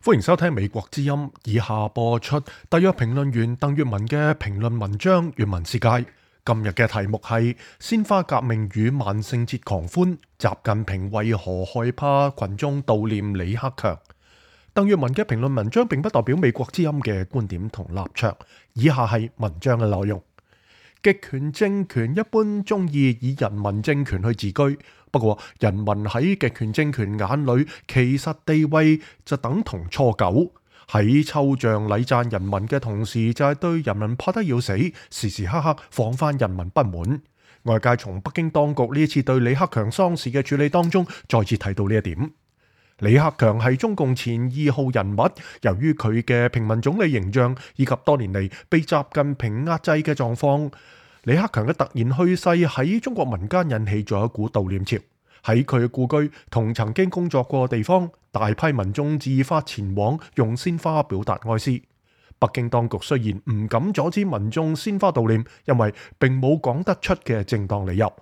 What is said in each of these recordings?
歡迎收聽美國之音，以下播出特約評論員鄧粵文嘅評論文章《粵文世界》。今日嘅題目係鮮花革命與萬聖節狂歡，習近平為何害怕群眾悼念李克強？鄧粵文嘅評論文章並不代表美國之音嘅觀點同立場，以下係文章嘅內容。極權政權一般中意以人民政權去自居，不過人民喺極權政權眼裏其實地位就等同初九，喺抽象禮讚人民嘅同時，就係對人民怕得要死，時時刻刻防範人民不滿。外界從北京當局呢一次對李克強喪事嘅處理當中，再次睇到呢一點。李克強係中共前2號人物，由於佢嘅平民總理形象以及多年嚟被習近平壓制嘅狀況，李克強嘅突然去世喺中國民間引起咗一股悼念潮。喺佢嘅故居同曾經工作過嘅地方，大批民眾自發前往用鮮花表達哀思。北京當局雖然唔敢阻止民眾鮮花悼念，因為並冇講得出嘅正當理由。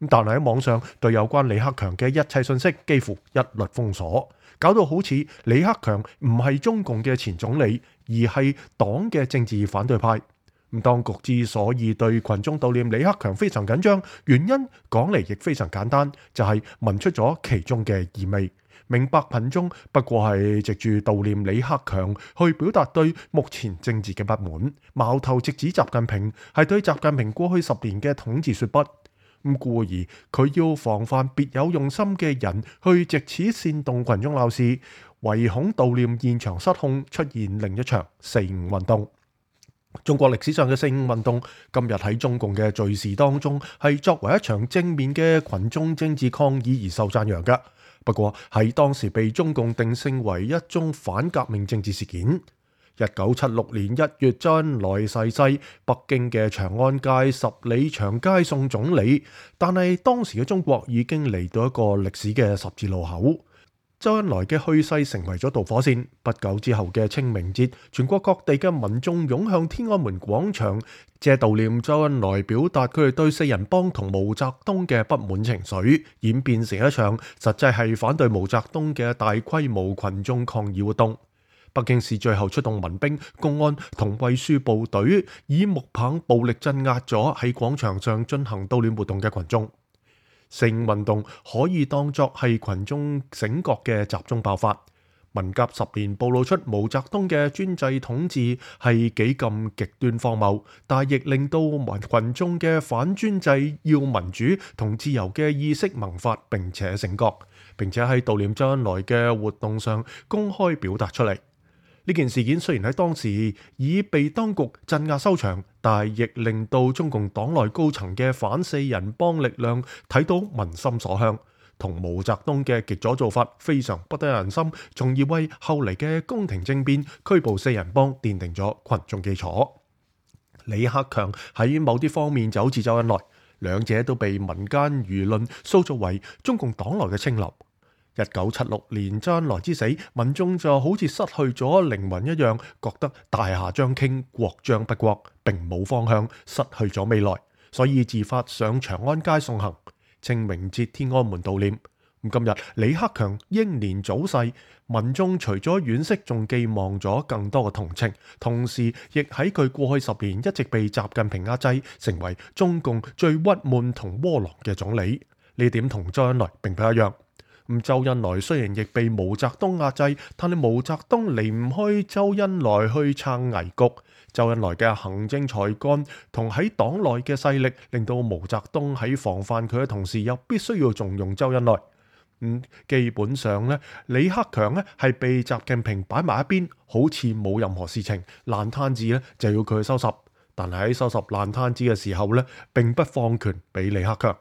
但係喺網上對有關李克強嘅一切信息幾乎一律封鎖，搞到好似李克強唔係中共嘅前總理，而係黨嘅政治反對派。當局之所以對群眾悼念李克強非常緊張，原因講嚟亦非常簡單，就係聞出咗其中嘅意味，明白群眾不過係藉住悼念李克強去表達對目前政治嘅不滿，矛頭直指習近平，係對習近平過去10年嘅統治說不。故而佢要防範別有用心嘅人去藉此煽動群眾鬧事，唯恐悼念現場失控，出現另一場4·5運動。中國歷史上嘅4·5運動，今日喺中共嘅敘事當中係作為一場正面嘅群眾政治抗議而受讚揚嘅。不過喺當時被中共定性為一宗反革命政治事件。1976年1月，周恩來逝世，北京嘅長安街10里長街送總理，但係當時嘅中國已經嚟到一個歷史嘅十字路口。周恩來嘅去世成為咗導火線，不久之後嘅清明節，全國各地嘅民眾湧向天安門廣場，借悼念周恩來表達佢哋對四人幫同毛澤東嘅不滿情緒，演變成一場實際係反對毛澤東嘅大規模群眾抗議活動。北京市最後出動民兵、公安同衛戍部隊，以木棒暴力鎮壓咗喺廣場上進行悼念活動嘅群眾。4·5運動可以當作係群眾醒覺嘅集中爆發。文革10年暴露出毛澤東嘅專制統治係幾咁極端荒謬，但亦令到群眾嘅反專制、要民主同自由嘅意識萌發，並且醒覺，並且喺悼念周恩來嘅活動上公開表達出嚟。呢件事件雖然喺當時已被當局鎮壓收場，但亦令到中共黨內高層嘅反四人幫力量睇到民心所向，同毛澤東嘅極左做法非常不得人心，從而為後嚟嘅宮廷政變拘捕四人幫奠定咗群眾基礎。李克強喺某啲方面就好似周恩來，兩者都被民間輿論塑造為中共黨內嘅清流。1976年周恩來之死，民眾就好似失去咗靈魂一樣，覺得大夏將傾，國將不國，並冇方向，失去咗未來，所以自發上長安街送行。清明節天安門悼念。今日李克強英年早逝，民眾除咗惋惜，仲寄望咗更多嘅同情，同時亦喺佢過去10年一直被習近平壓制，成為中共最鬱悶同窩囊嘅總理。呢點同周恩來並不一樣。周恩來雖然亦被毛澤東壓制，但係毛澤東離唔開周恩來去撐危局。周恩來嘅行政才幹同喺黨內嘅勢力，令到毛澤東喺防範佢嘅同時，又必須要重用周恩來。基本上咧，李克強咧係被習近平擺埋一邊，好似冇任何事情，爛攤子咧就要佢去收拾。但係喺收拾爛攤子嘅時候咧，並不放權俾李克強。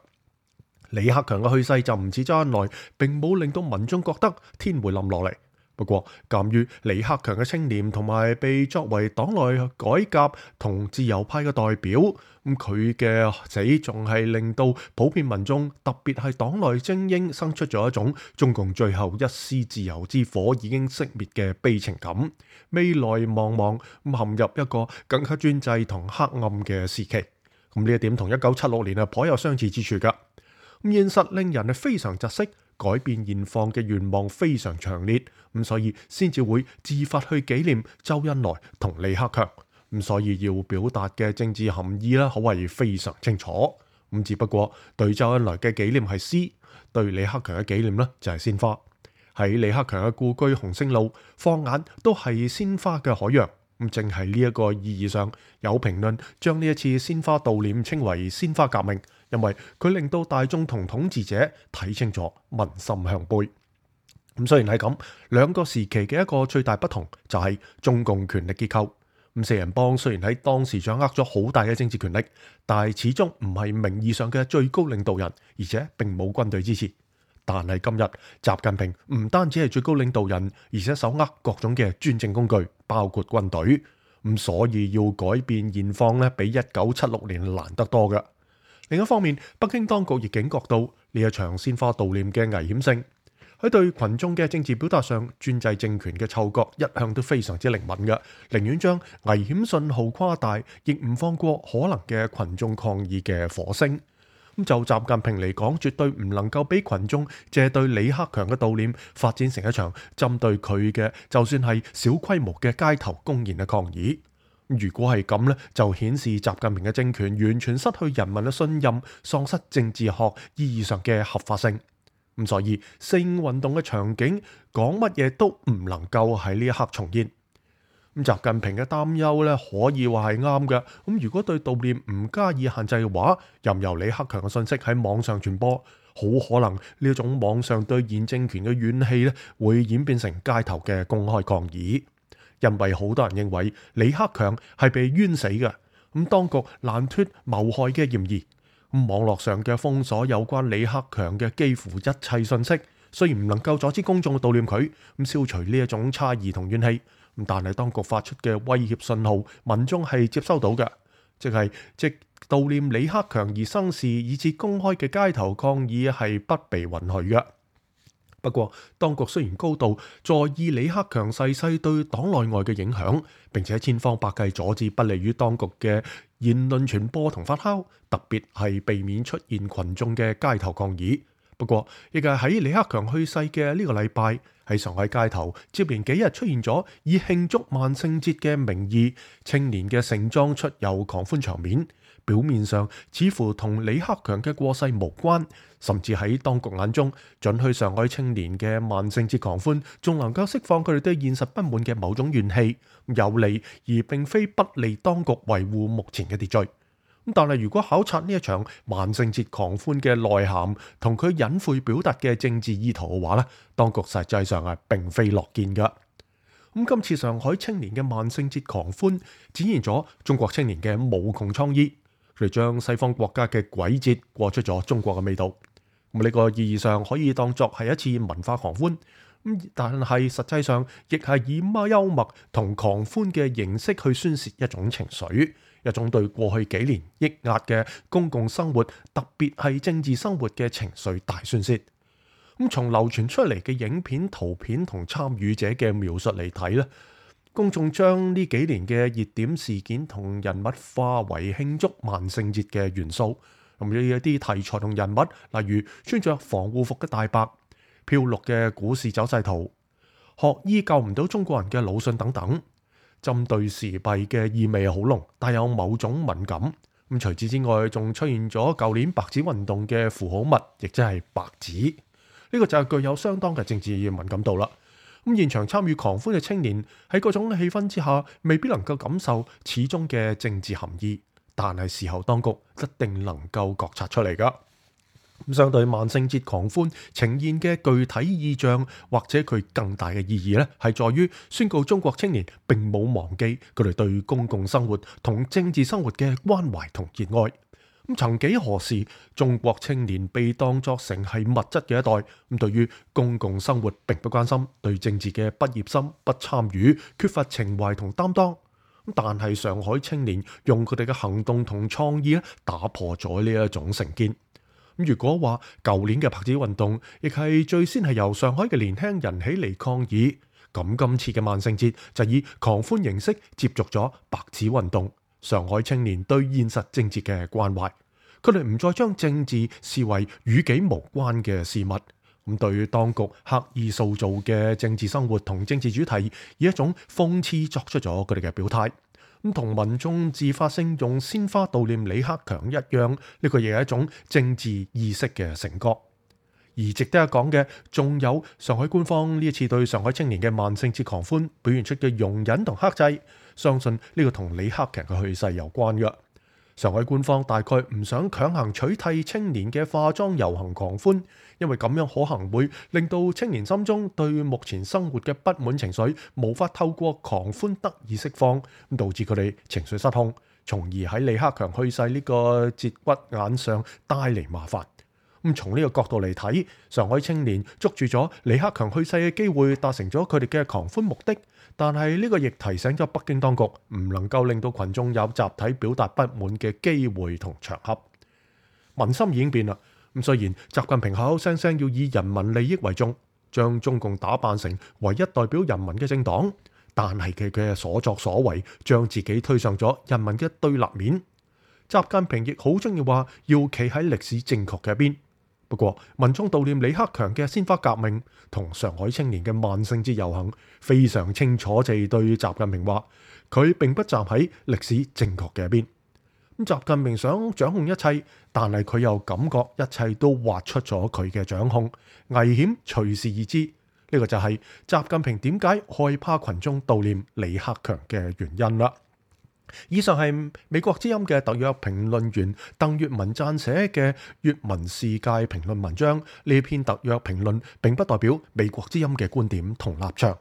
李克強嘅去世就唔似周恩來，並冇令到民眾覺得天會冧落嚟。不過，鑑於李克強嘅清廉同埋被作為黨內改革同自由派嘅代表，佢嘅死仲係令到普遍民眾，特別係黨內精英，生出咗一種中共最後一絲自由之火已經熄滅嘅悲情感，未來茫茫，陷入一個更加專制同黑暗嘅時期。呢一點同1976年頗有相似之處㗎。現實令人係非常窒息，改變現況嘅願望非常強烈，咁所以先至會自發去紀念周恩來同李克強，咁所以要表達嘅政治含義可謂非常清楚。咁只不過對周恩來嘅紀念係詩，對李克強嘅紀念就係鮮花。喺李克強嘅故居鴻星路，放眼都係鮮花嘅海洋。咁正係呢一個意義上，有評論將呢一次鮮花悼念稱為鮮花革命，因為佢令到大眾同統治者睇清楚民心向背。咁雖然係咁，兩個時期嘅一個最大不同就係中共權力結構。咁四人幫雖然喺當時掌握咗好大嘅政治權力，但係始終唔係名義上嘅最高領導人，而且並冇軍隊支持。但係今日習近平唔單止係最高領導人，而且手握各種嘅專政工具，包括軍隊。咁所以要改變現況比1976年難得多嘅。另一方面，北京當局亦警覺到呢一場鮮花悼念嘅危險性。喺對群眾嘅政治表達上，專制政權嘅嗅覺一向都非常之靈敏嘅，寧願將危險信號誇大，亦唔放過可能嘅群眾抗議嘅火星。咁就習近平嚟講，絕對唔能夠俾群眾借對李克強嘅悼念發展成一場針對佢嘅，就算係小規模嘅街頭公然嘅抗議。如果係咁就顯示習近平嘅政權完全失去人民嘅信任，喪失政治學意義上嘅合法性。咁所以四五運動嘅場景，講乜嘢都唔能夠喺呢一刻重現。咁習近平嘅擔憂可以話係啱嘅。咁如果對悼念唔加以限制嘅話，任由李克強嘅信息喺網上傳播，好可能呢一種網上對現政權嘅怨氣會演變成街頭嘅公開抗議。因為好多人認為李克強係被冤死嘅，咁當局難脫謀害嘅嫌疑。咁網絡上嘅封鎖有關李克強嘅幾乎一切信息，雖然唔能夠阻止公眾悼念佢，咁消除呢一種差異同怨氣，但係當局發出嘅威脅信號，民眾係接收到嘅，即悼念李克強而生事，以至公開嘅街頭抗議係不被允許嘅。不過，當局雖然高度在意李克強逝世對黨內外嘅影響，並且千方百計阻止不利於當局嘅言論傳播同發酵，特別係避免出現群眾嘅街頭抗議。不過，亦係喺李克強去世嘅呢個禮拜，喺上海街頭接連幾日出現咗以慶祝萬聖節嘅名義，青年嘅盛裝出遊狂歡場面。表面上似乎同李克強嘅過世無關，甚至喺當局眼中，准許上海青年嘅萬聖節狂歡，仲能夠釋放佢哋對現實不滿嘅某種怨氣，有利而並非不利當局維護目前嘅秩序。但係如果考察呢一場萬聖節狂歡嘅內涵同佢隱晦表達嘅政治意圖嘅話，當局實際上係並非樂見㗎。今次上海青年嘅萬聖節狂歡，展現咗中國青年嘅無窮創意。佢哋將西方國家嘅鬼節過出咗中國嘅味道，呢個意義上可以當作係一次文化狂歡，但係實際上亦係以幽默同狂歡嘅形式去宣泄一種情緒，一種對過去幾年抑壓嘅公共生活，特別係政治生活嘅情緒大宣泄。從流傳出嚟嘅影片、圖片同參與者嘅描述嚟睇，公眾將呢幾年嘅熱點事件同人物化為慶祝萬聖節嘅元素，咁有一啲題材同人物，例如穿着防護服嘅大白、漂綠嘅股市走勢圖、學醫救唔到中國人嘅魯迅等等，針對時弊嘅意味好濃，帶有某種敏感。除此之外，仲出現咗舊年白紙運動嘅符號物，亦即係白紙，呢個就係具有相當嘅政治敏感度啦。現場參與狂歡嘅青年喺嗰種氣氛之下，未必能夠感受始終嘅政治含義，但係事後當局一定能夠覺察出嚟㗎。相對萬聖節狂歡呈現嘅具體意象，或者佢更大嘅意義係在於宣告中國青年並冇忘記佢哋對公共生活同政治生活嘅關懷同熱愛。曾幾何時，中國青年被當作成係物質嘅一代，對於公共生活並不關心，對政治嘅不熱心、不參與，缺乏情懷同擔當。但係上海青年用佢哋嘅行動同創意打破咗呢一種成見。如果話舊年嘅白紙運動亦係最先係由上海嘅年輕人起嚟抗議，咁今次嘅萬聖節就以狂歡形式接續咗白紙運動。上海青年對現實政治嘅關懷，佢哋唔再將政治視為與己無關嘅事物，咁對當局刻意塑造嘅政治生活同政治主題，以一種諷刺作出咗佢哋嘅表態。咁同民眾自發性用鮮花悼念李克強一樣，呢個亦係一種政治意識嘅成果。而值得一講嘅，仲有上海官方呢一次對上海青年嘅萬聖節狂歡表現出嘅容忍同克制，相信呢個同李克強嘅去世有關嘅。上海官方大概唔想強行取締青年嘅化妝遊行狂歡，因為咁樣可能會令到青年心中對目前生活嘅不滿情緒無法透過狂歡得以釋放，導致佢哋情緒失控，從而喺李克強去世呢個節骨眼上帶嚟麻煩。咁從呢個角度嚟睇，上海青年捉住咗李克強去世嘅機會，達成咗佢哋嘅狂歡目的。但係呢個亦提醒咗北京當局，唔能夠令到群眾有集體表達不滿嘅機會同場合。民心已經變啦。咁雖然習近平口口聲聲要以人民利益為重，將中共打扮成唯一代表人民嘅政黨，但係佢嘅所作所為，將自己推上咗人民嘅對立面。習近平亦好中意話要企喺歷史正確嘅一邊。不過，民眾悼念李克強嘅鮮花革命同上海青年嘅萬聖節遊行，非常清楚地對習近平話，佢並不站喺歷史正確嘅一邊。咁習近平想掌控一切，但係佢又感覺一切都劃出咗佢嘅掌控，危險隨時而至。呢個就係習近平點解害怕群眾悼念李克強嘅原因啦。以上係美國之音嘅特約評論員鄧粵文撰寫嘅粵文世界評論文章。呢篇特約評論並不代表美國之音嘅觀點同立場。